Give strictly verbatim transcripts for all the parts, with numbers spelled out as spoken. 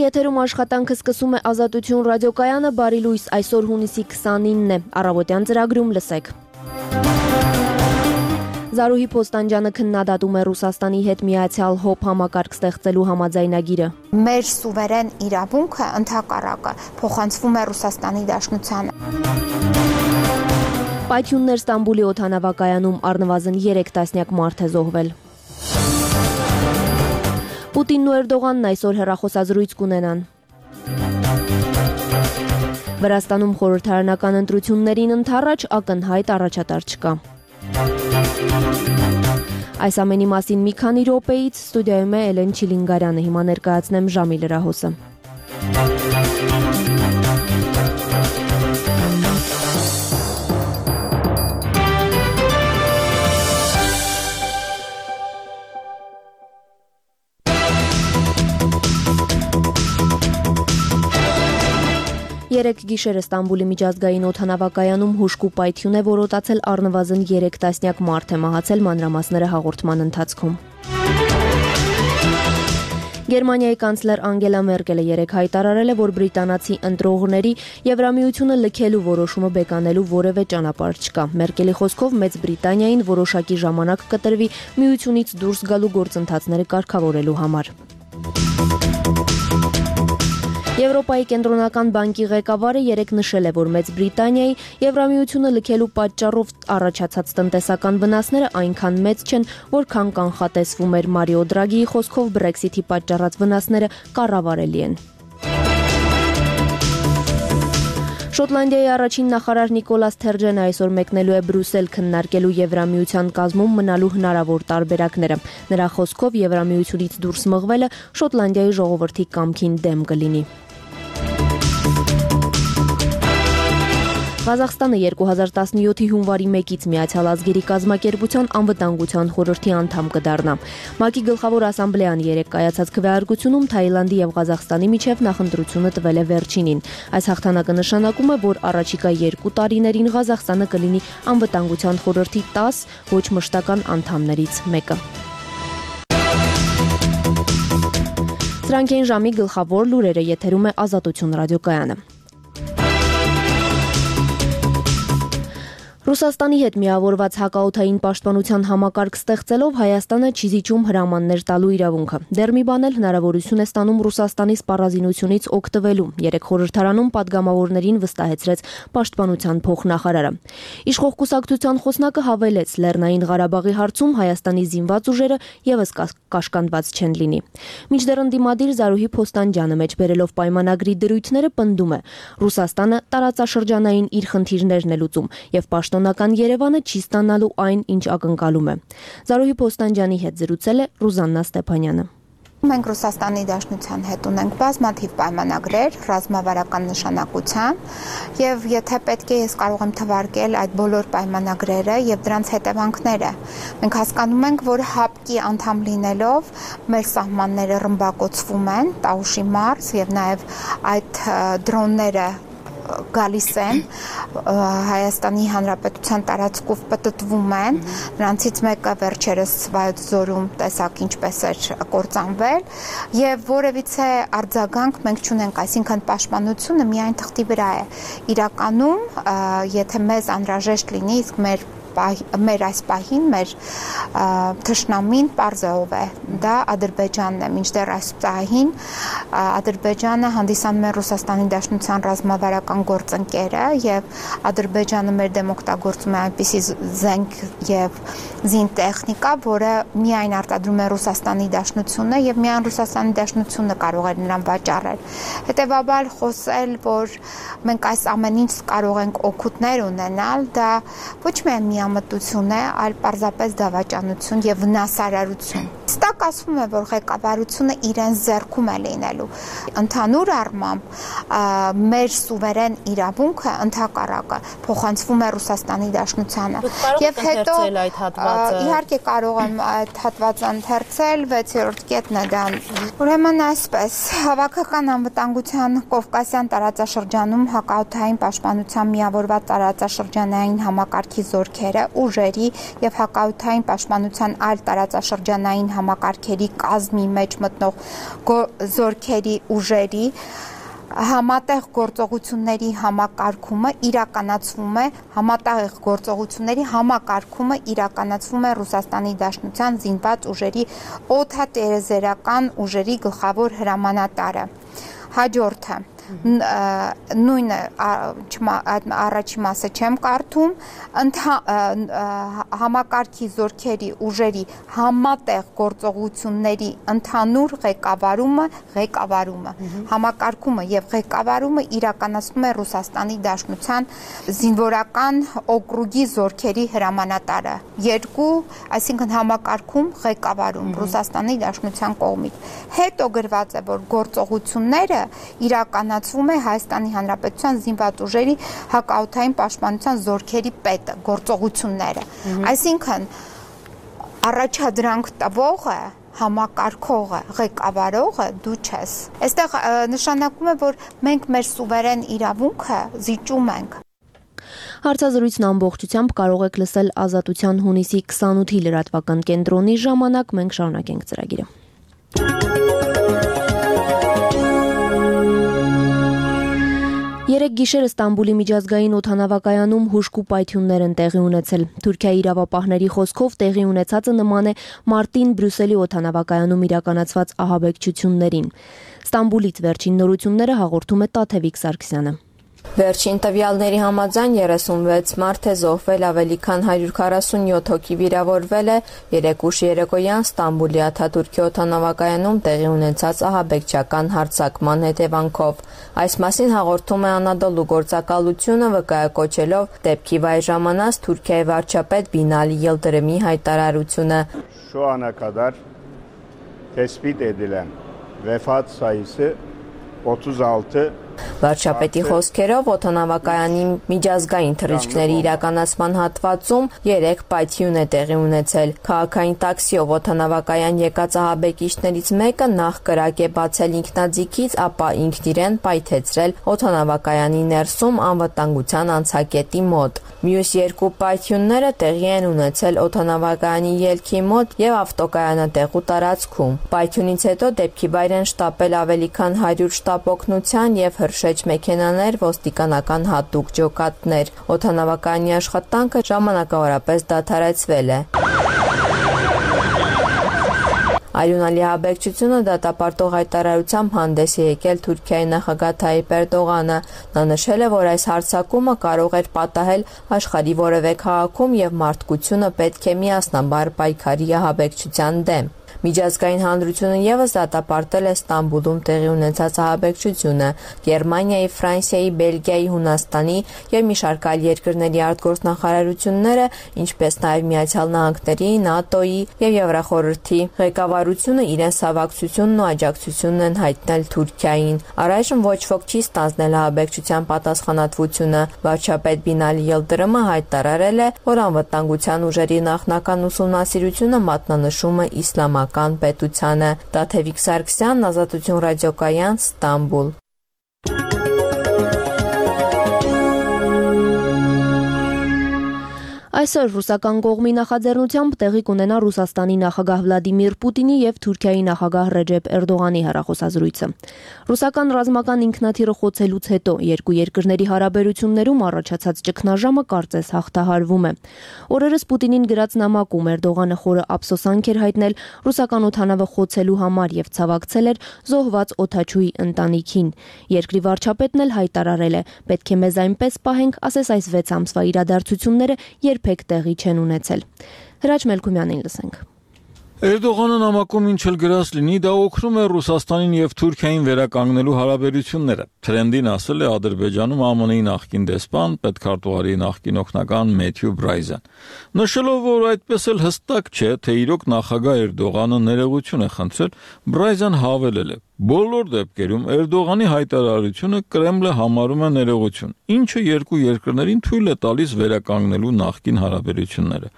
Եթերում աշխատանքը սկսում է Ազատություն ռադիոկայանը, բարի լույս, այսօր հունիսի քսանինն է, առավոտյան ծրագրում լսեք։ Զարուհի Փոստանջյանը քննադատում է Ռուսաստանի հետ միացյալ հոբ համակարգ ստեղծելու համաձայնագիրը։ Մեր սուվերեն իրավունքը ընդհակառակը փոխանցվում է Ռուսաստանի Դաշնությանը։ Պայթյուններ Ստամբուլի օդանավակայանում առնվազն երեք տասնյակ մարդ է զոհվել։ Պուտինն ու Էրդողանն այսօր հեռախոսազրույց կունենան։ Վրաստանում խորհրդարանական ընտրություններին ընդառաջ ակնհայտ առաջատար չկա։ Այս ամենի մասին մի քանի րոպեից ստուդիայում է Էլեն Չիլինգարյանը, հիմա ներկայացնեմ ժամի լրահոսը։ Երեք գիշերը Ստամբուլի միջազգային օդանավակայանում հուժկու պայթյուն է որոտացել, առնվազն երեք տասնյակ մարդ է մահացել, մանրամասները հաղորդման ընթացքում։ Գերմանիայի կանցլեր Անգելա Մերկելը երեկ հայտարարել է, որ բրիտանացի ընտրողների Եվրամիությունը լքելու որոշումը բեկանելու որևէ ճանապարհ չկա։ Մերկելի խոսքով Մեծ Բրիտանիային որոշակի ժամանակ կտրվի միությունից դուրս գալու գործընթացները կարգավորելու համար։ Եվրոպայի կենտրոնական բանկի ղեկավարը երեկ նշել է, որ Մեծ Բրիտանիայի Եվրամիությունը լքելու պատճառով առաջացած տնտեսական վնասները այնքան մեծ չեն, որքան կանխատեսվում էր։ Մարիո Դրագիի խոսքով Բրեքսիթի պատճառած վնասները կառավարելի են։ Շոտլանդիայի առաջին նախարար Նիկոլաս Սթերջենը այսօր մեկնելու է Բրյուսել քննարկելու Եվրամիության կազմում մնալու հնարավոր տարբերակները։ Նրա խոսքով Եվրամիությունից դուրս մղվելը Շոտլանդիայի ժողովրդի կամքին դեմ կլինի։ Ղազախստանը երկու հազար տասնյոթի հունվարի մեկից Միացյալ ազգերի կազմակերպության անվտանգության խորհրդի անդամ կդառնա։ ՄԱԿ-ի գլխավոր ասամբլեան երեկ կայացած քվեարկությունում Թաիլանդի եւ Ղազախստանի միջև նախընտրությունը տվել է վերջինին։ Այս հաղթանակը նշանակում է, որ առաջիկա երկու տարիներին Ղազախստանը կլինի անվտանգության խորհրդի տաս ոչ մշտական անդամներից մեկը։ Սրանք են ժամի գլխավոր լուրերը, եթերում է Ազատություն ռադիոկայանը։ Ռուսաստանի հետ միավորված հակաօդային պաշտպանության համակարգ ստեղծելով Հայաստանը չի զիջում հրամաններ տալու իրավունքը։ Դեռ մի բան էլ հնարավորություն է ստանում Ռուսաստանի սպառազինությունից օգտվելու։ Երեք խորհրդարանում падգամավորներին վստահեցրեց պաշտպանության փոխնախարարը։ Իշխող կուսակցության խոսնակը հավելեց, Լեռնային Ղարաբաղի հարցում Հայաստանի զինված ուժերը եւս կաշկանդված չեն լինի։ Մինչդեռ ընդդիմադիր Զարուհի Փոստանջյանը մեջբերելով պայմանագրի դրույթները պնդում է, Ռուսաստանը տարածաշրջանային իր խնդիրներն է լուծում եւ Պաշտոնական Երևանը չի ստանալու այն, ինչ ակնկալում է։ Զարուհի Փոստանջյանի հետ զրուցել է Ռուզաննա Ստեփանյանը։ Մենք Ռուսաստանի Դաշնության հետ ունենք բազմաթիվ պայմանագրեր ռազմավարական նշանակության եւ եթե պետք է ես կարող եմ թվարկել այդ բոլոր պայմանագրերը եւ դրանց հետևանքները։ Մենք հասկանում ենք, որ հապկի անդամ լինելով մեր սահմանները ռմբակոծվում են, Տաուշի մարզ եւ նաեւ այդ դրոնները գալիս են Հայաստանի Հանրապետության տարածքով պտտվում են, նրանցից մեկը վերջերս Վայոց ձորում տեսակ ինչպես էր կործանվել եւ որևիցե արձագանք մենք չունենք, այսինքն պաշտպանությունը միայն թղթի վրա է։ Իրականում, եթե մեզ անհրաժեշտ լինի, իսկ մեր մեր այս պահին մեր թշնամին պարզը ով է, դա Ադրբեջանն է, մինչդեռ այս պահին Ադրբեջանը հանդիսանում է Ռուսաստանի Դաշնության ռազմավարական գործընկերը եւ Ադրբեջանը մեր դեմ օգտագործում է այնպիսի զենք եւ զինտեխնիկա, որը միայն արտադրում է Ռուսաստանի Դաշնությունը եւ միայն Ռուսաստանի Դաշնությունը կարող է նրան վաճառել։ Հետեւաբար խոսել, որ մենք այս ամեն ինչ կարող ենք օգուտներ ունենալ, դա ոչ միայն միամտություն է, այլ պարզապես դավաճանություն եւ վնասարարություն։ Ստակ ասվում է, որ ղեկավարությունը իրեն ձեռքում է լինելու։ Ընդհանուր առմամբ մեր սուվերեն իրավունքը ընդհակառակը փոխանցվում է Ռուսաստանի Դաշնությանը։ Եվ հետո իհարկե կարող եմ այդ հատվածը ընթերցել, վեցերորդ կետն է դա։ Ուրեմն այսպես, հավաքական անվտանգության Կովկասյան տարածաշրջանում հակաօդային պաշտպանության միավորված տարածաշրջանային համակարգի զորքերը ուժերի եւ հակաօդային պաշտպանության այլ տարածաշրջանային համակարգ համակարգերի կազմի մեջ մտնող զորքերի ուժերի համատեղ գործողությունների համակարգումը իրականացվում է համատեղ գործողությունների համակարգումը իրականացվում է Ռուսաստանի Դաշնության զինված ուժերի օդատիեզերական ուժերի գլխավոր հրամանատարը հաջորդը նույնը առաջի մասը չեմ կարդում համակարգի զորքերի ուժերի համատեղ գործողությունների ընդհանուր ղեկավարումը ղեկավարումը համակարգումը եւ ղեկավարումը իրականացնում է Ռուսաստանի Դաշնության զինվորական օկրուգի զորքերի հրամանատարը երկու այսինքն համակարգում ղեկավարում Ռուսաստանի Դաշնության կողմից հետո գրված է որ գործողությունները իրականացվում է Հայաստանի Հանրապետության զինված ուժերի հակաօդային պաշտպանության զորքերի պետը գործողությունները այսինքն առաջադրանք տվողը համակարգողը ղեկավարողը դու չես այստեղ նշանակում է որ մենք մեր սուվերեն իրավունքը զիջում ենք Հարցազրույցն ամբողջությամբ կարող եք լսել Ազատության հունիսի քսանութի լրատվական կենտրոնի ժամանակ մենք շարունակենք ծրագիրը Երեկ գիշերը Ստամբուլի միջազգային օդանավակայանում հուժկու պայթյուններ են տեղի ունեցել։ Թուրքիայի իրավապահների խոսքով տեղի ունեցածը նման է մարտին Բրյուսելի օդանավակայանում իրականացված ահաբեկչություններին։ Ստամբուլից վերջին նորությունները հաղորդում է Տաթևիկ Սարգսյանը։ Վերջին տվյալների համաձայն երեսունվեց մարդ է զոհվել, ավելի քան հարյուր քառասունյոթ հոգի վիրավորվել է երեկ ուշ երեկոյան Ստամբուլի Աթաթուրքի օդանավակայանում տեղի ունեցած ահաբեկչական հարձակման հետևանքով։ Այս մասին հաղորդում է Անադոլու գործակալությունը վկայակոչելով դեպքի վայր ժամանած Թուրքիայի վարչապետ Բինալի Ելդրեմի հայտարարությունը։ Şu ana kadar tespit edilen vefat sayısı otuz altı Վարչապետի խոսքերով օդանավակայանի միջազգային թռիչքների իրականացման հատվածում երեք պայթյուն է տեղի ունեցել։ Քաղաքային տաքսիով օդանավակայան եկած ահաբեկիչներից մեկը նախ կրակ է բացել ինքնաձիգից, ապա ինքն իրեն պայթեցրել օդանավակայանի ներսում անվտանգության անցակետի մոտ։ Մյուս երկու պայթյունները տեղի են ունեցել օդանավակայանի ելքի մոտ եւ ավտոկայանատեղու տարածքում։ Պայթյունից հետո դեպքի վայր են շտապել ավելի քան հարյուր շտապ օգնության եւ հրշեջ մեքենաներ, ոստիկանական հատուկ ջոկատներ։ Օդանավակայանի աշխատանքը ժամանակավորապես դադարեցվել է։ Արյունալի ահաբեկչությունը դատապարտող հայտարարությամբ հանդես է եկել Թուրքիայի նախագահ Թայիպ Էրդողանը։ Նա նշել է, որ այս հարձակումը կարող էր պատահել աշխարհի որևէ քաղաքում եւ մարդկությունը պետք է միասնաբար պայքարի ահաբեկչության դեմ։ Միջազգային հանրությունը եւս դատապարտել է Ստամբուլում տեղի ունեցած ահաբեկչությունը։ Գերմանիայի, Ֆրանսիայի, Բելգիայի, Հունաստանի եւ մի շարք այլ երկրների արտգործնախարարությունները, ինչպես նաեւ Միացյալ Նահանգների, ՆԱՏՕ-ի եւ Եվրախորհրդի ղեկավարությունը իրենց հավակցությունն ու աջակցությունն են հայտնել Թուրքիային։ Առայժմ ոչ ոք չի ստանձնել ահաբեկչության պատասխանատվությունը։ Վարչապետ Բինալի Ելդրեմը հայտարարել է, որ անվտանգության ուժերի նախնական ուսումնասիրությունը մատնանշում է իսլամական պետությանը։ Տաթևիկ Սարգսյան, Ազատություն ռադիոկայան, Ստամբուլ։ Այսօր ռուսական կողմի նախաձեռնությամբ տեղի կունենա Ռուսաստանի նախագահ Վլադիմիր Պուտինի եւ Թուրքիայի նախագահ Ռեջեփ Էրդողանի հեռախոսազրույցը։ Ռուսական ռազմական ինքնաթիռը խոցելուց հետո երկու երկրների հարաբերություններում առաջացած ճգնաժամը կարծես հաղթահարվում է։ Օրերս Պուտինին գրած նամակում Էրդողանը խորը ափսոսանք էր հայտնել ռուսական օդանավը խոցելու համար եւ ցավակցել էր զոհված օդաչուի ընտանիքին։ Երկրի վարչապետն էլ հայտարարել է. «Պետք է մեզ այնպես պահենք, ասես այս վեց ամսվա իրադարձությունները երբեք տեղի չեն ունեցել»։ Հրաչ Մելքումյանին լսենք։ Էրդողանը նամակում ինչ էլ գրած լինի, դա օգնում է Ռուսաստանին եւ Թուրքիային վերականգնելու հարաբերությունները։ Թրենդին ասել է Ադրբեջանում Α M N-ի նախկին դեսպան, պետքարտուղարի նախկին օգնական Մեթյու Բրայզեն, նշելով, որ այդպես էլ հստակ չէ, թե իրոք նախագահ Էրդողանը ներողություն է խնդրել, Բրայզեն հավելել է. «Բոլոր դեպքերում Էրդողանի հայտարարությունը Կրեմլը համարում է ներողություն, ինչը երկու երկրներին թույլ է տալիս վերականգնելու նախկին հարաբերությունները»։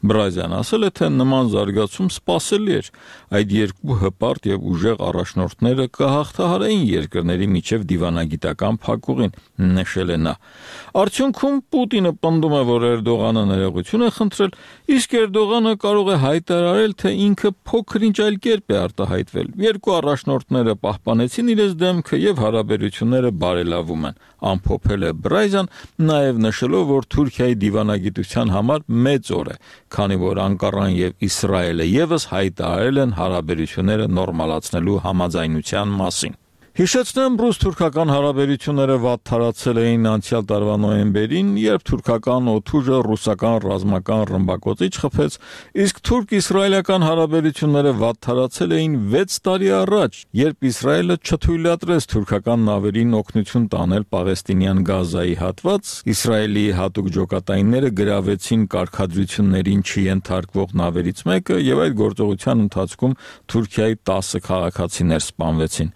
Բրազյան ասել է, թե նման զարգացում սպասելի էր։ Այդ երկու հպարտ եւ ուժեղ առաջնորդները կհաղթահարեին երկրների միջև դիվանագիտական փակուղին, նշել է նա։ Արդյունքում Պուտինը պնդում է, որ Էրդողանը ներողություն է խնդրել, իսկ Էրդողանը կարող է հայտարարել, թե ինքը փոքր-ինչ այլ կերպ է արտահայտվել։ Երկու առաջնորդները պահպանեցին իրենց դեմքը եւ հարաբերությունները բարելավում են, ամփոփել է Բրազյան, նաեւ նշելով, որ Թուրքիայի դիվանագիտության համար մեծ օր է, քանի որ Անկարան եւ Իսրայելը եւս հայտարարել են հարաբերությունները նորմալացնելու համաձայնության մասին։ Հիշեցնեմ, ռուս-թուրքական հարաբերությունները վատթարացել էին անցյալ տարվա նոյեմբերին, երբ թուրքական օդուժը ռուսական ռազմական ռմբակոծիչ խփեց, իսկ թուրք-իսրայելական հարաբերությունները վատթարացել էին վեց տարի առաջ, երբ Իսրայելը չթույլատրեց թուրքական նավերին օգնություն տանել Պաղեստինյան Գազայի հատված, Իսրայելի հատուկ ջոկատայինները գրավեցին կարգադրություններին չենթարկվող նավերից մեկը եւ այդ գործողության ընթացքում Թուրքիայի տասը քաղաքացիներ սպանվեցին։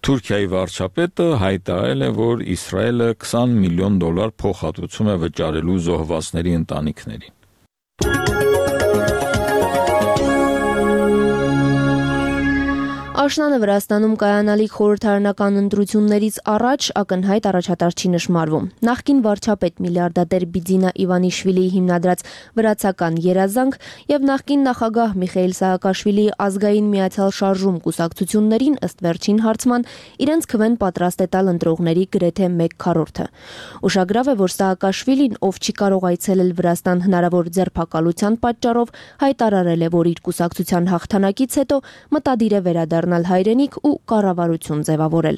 Թուրքիայի վարչապետը հայտարարել է, որ Իսրայելը քսան միլիոն դոլար փոխհատուցում է վճարելու զոհվածների ընտանիքներին։ Աշնանը Վրաստանում կայանալիք խորհրդարանական ընտրություններից առաջ ակնհայտ առաջատար չի նշմարվում։ Նախկին վարչապետ միլիարդատեր Բիձինա Իվանիշվիլիի հիմնադրած վրացական երազանք եւ նախկին նախագահ Միխայիլ Սահակաշվիլիի ազգային միացյալ շարժում կուսակցություններին ըստ վերջին հարցման իրենց քվեն պատրաստ է տալ ընտրողների գրեթե մեկ քառորդը։ Ուշագրավ է, որ Սահակաշվիլին, ով չի կարող այցելել Վրաստան հնարավոր ձերբակալության պատճառով, հայտարարել է, որ իր կուսակցության հաղթանակից հետո մտադիր է վերադառնալ հայրենիք ու կառավարություն ձևավորել։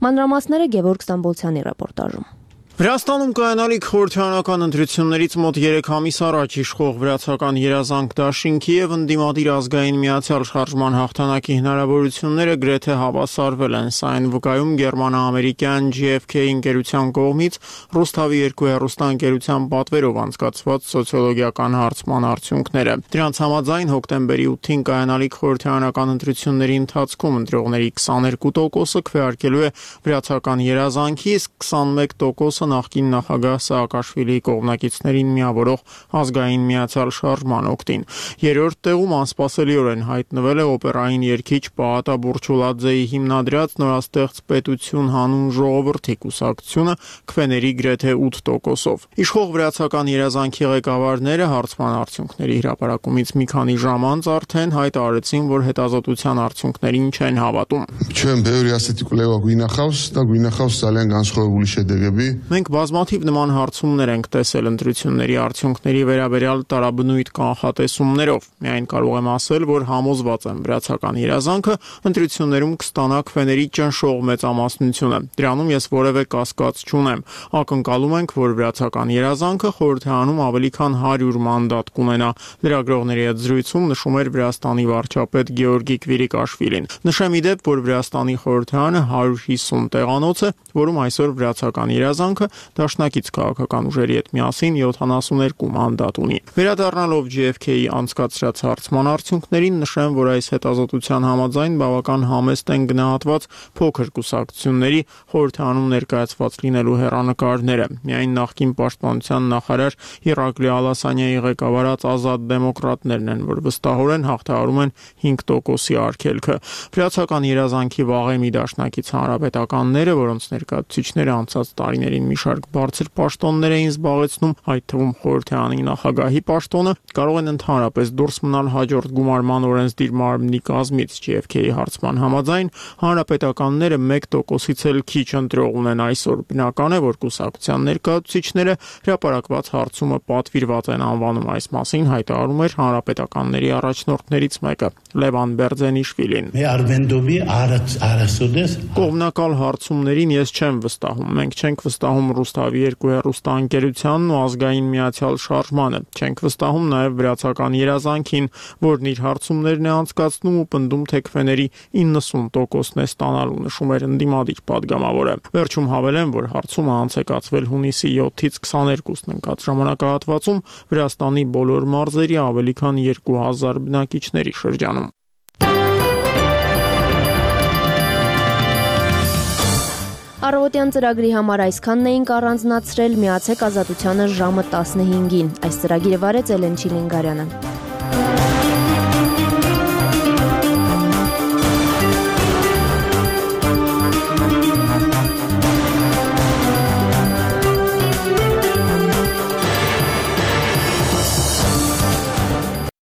Մանրամասները Գևորգ Ստամբոլցյանի ռեպորտաժում։ Վրաստանում կայանալիք խորհրդարանական ընտրություններից մոտ երեք ամիս առաջ իշխող վրացական երազանք դաշինքի եւ ընդդիմադիր ազգային միացյալ շարժման հաղթանակի հնարավորությունները գրեթե հավասարվել են, սա այն վկայում գերմանա-ամերիկյան Ջի Էֆ Քեյ ընկերության կողմից Ռուսթավի երկու հեռուստաընկերության պատվերով անցկացված սոցիոլոգիական հարցման արդյունքները։ Դրանց համաձայն հոկտեմբերի ութին կայանալիք խորհրդարանական ընտրությունների ընթացքում ընտրողների քսաներկու տոկոսը քվեարկելու է վրացական երազանքի, իսկ քսանմեկ տոկոսը նախկին նախագահ Սահակաշվիլիի կողմնակիցներին միավորող ազգային միացյալ շարժման օգտին։ Երրորդ տեղում անսպասելիորեն հայտնվել է օպերային երգիչ Պաատա Բուրչուլաձեի հիմնադրած նորաստեղծ պետություն հանուն ժողովրդի կուսակցությունը քվեների գրեթե ութ տոկոսով։ Իշխող վրացական երազանքի ղեկավարները հարցման արդյունքների հրապարակումից մի քանի ժամ անց արդեն հայտարարեցին, որ հետազոտության արդյունքներին չեն հավատում։ Ჩვენ ბევრი ასეთი კვლევა გვინახავს და გვინახავს ძალიან განსხვავებული შედეგები. Մենք բազմաթիվ նման հարցումներ ենք տեսել ընտրությունների արդյունքների վերաբերյալ տարաբնույթ կանխատեսումներով։ Միայն կարող եմ ասել, որ համոզված եմ վրացական երազանքը ընտրություններում կստանա քվեների ճնշող մեծամասնությունը։ Դրանում ես որևէ կասկած չունեմ։ Ակնկալում ենք, որ վրացական երազանքը խորհրդարանում ավելի քան հարյուր մանդատ կունենա։ Լրագրողների հետ զրույցում նշում էր Վրաստանի վարչապետ Գեորգի Կվիրիկաշվիլին։ Նշեմ ի դեպ, որ Վրաստանի խորհրդարանը հարյուր հիսուն տեղանոց է, որում այսօր վրացական երազանքը դաշնակից քաղաքական ուժերի հետ միասին յոթանասուներկու մանդատ ունի։ Վերադառնալով Ջի Էֆ Քեյի անցկացրած հարցման արդյունքներին, նշեմ, որ այս հետազոտության համաձայն բավական համեստ են գնահատված փոքր կուսակցությունների խորհրդարանում ներկայացված լինելու հեռանկարները։ Միայն նախկին պաշտպանության նախարար Իրակլի Ալասանյայի ղեկավարած ազատ դեմոկրատներն են, որ վստահորեն հաղթահարում են հինգ տոկոսի արգելքը։ Վրացական երազանքի վաղեմի դաշնակից հանրապետականները, որոնց ներկայացուցիչները անցած տարիներին մի շարք բարձր պաշտոններ էին զբաղեցնում, այդ թվում խորհրդարանի նախագահի պաշտոնը, կարող են ընդհանրապես դուրս մնալ հաջորդ գումարման օրենսդիր մարմնի կազմից։ Ջի Էֆ Քեյի հարցման համաձայն հանրապետականները մեկ տոկոսից էլ քիչ ընտրող ունեն այսօր։ Բնական է, որ կուսակցության ներկայացուցիչները հրապարակված հարցումը պատվիրված են անվանում։ Այս մասին հայտարարում էր հանրապետականների առաջնորդներից մեկը Լևան Բերձենիշվիլին։ Կողմնակալ հարցումներին ես չեմ վստահում։ Մենք չենք վստահում Ռուսթավի երկու հեռուստաընկերությանն ու ազգային միացյալ շարժմանը։ Չենք վստահում նաև վրացական երազանքին, որն իր հարցումներն է անցկացնում ու պնդում, թե քվեների իննսուն տոկոսն է ստանալու, նշում էր ընդդիմադիր падգամավորը։ Վերջում հավելեմ, որ հարցումը անց է կացվել հունիսի յոթից քսաներկուսն ընկած ժամանակահատվածում Վրաստանի բոլոր մարզերի ավելի քան երկու հազար բնակիչների շրջանում։ Առավոտյան ծրագրի համար այսքանն էինք առանձնացրել, միացեք Ազատությանը ժամը տասնհինգին։ Այս ծրագիրը վարեց Էլեն Չիլինգարյանը։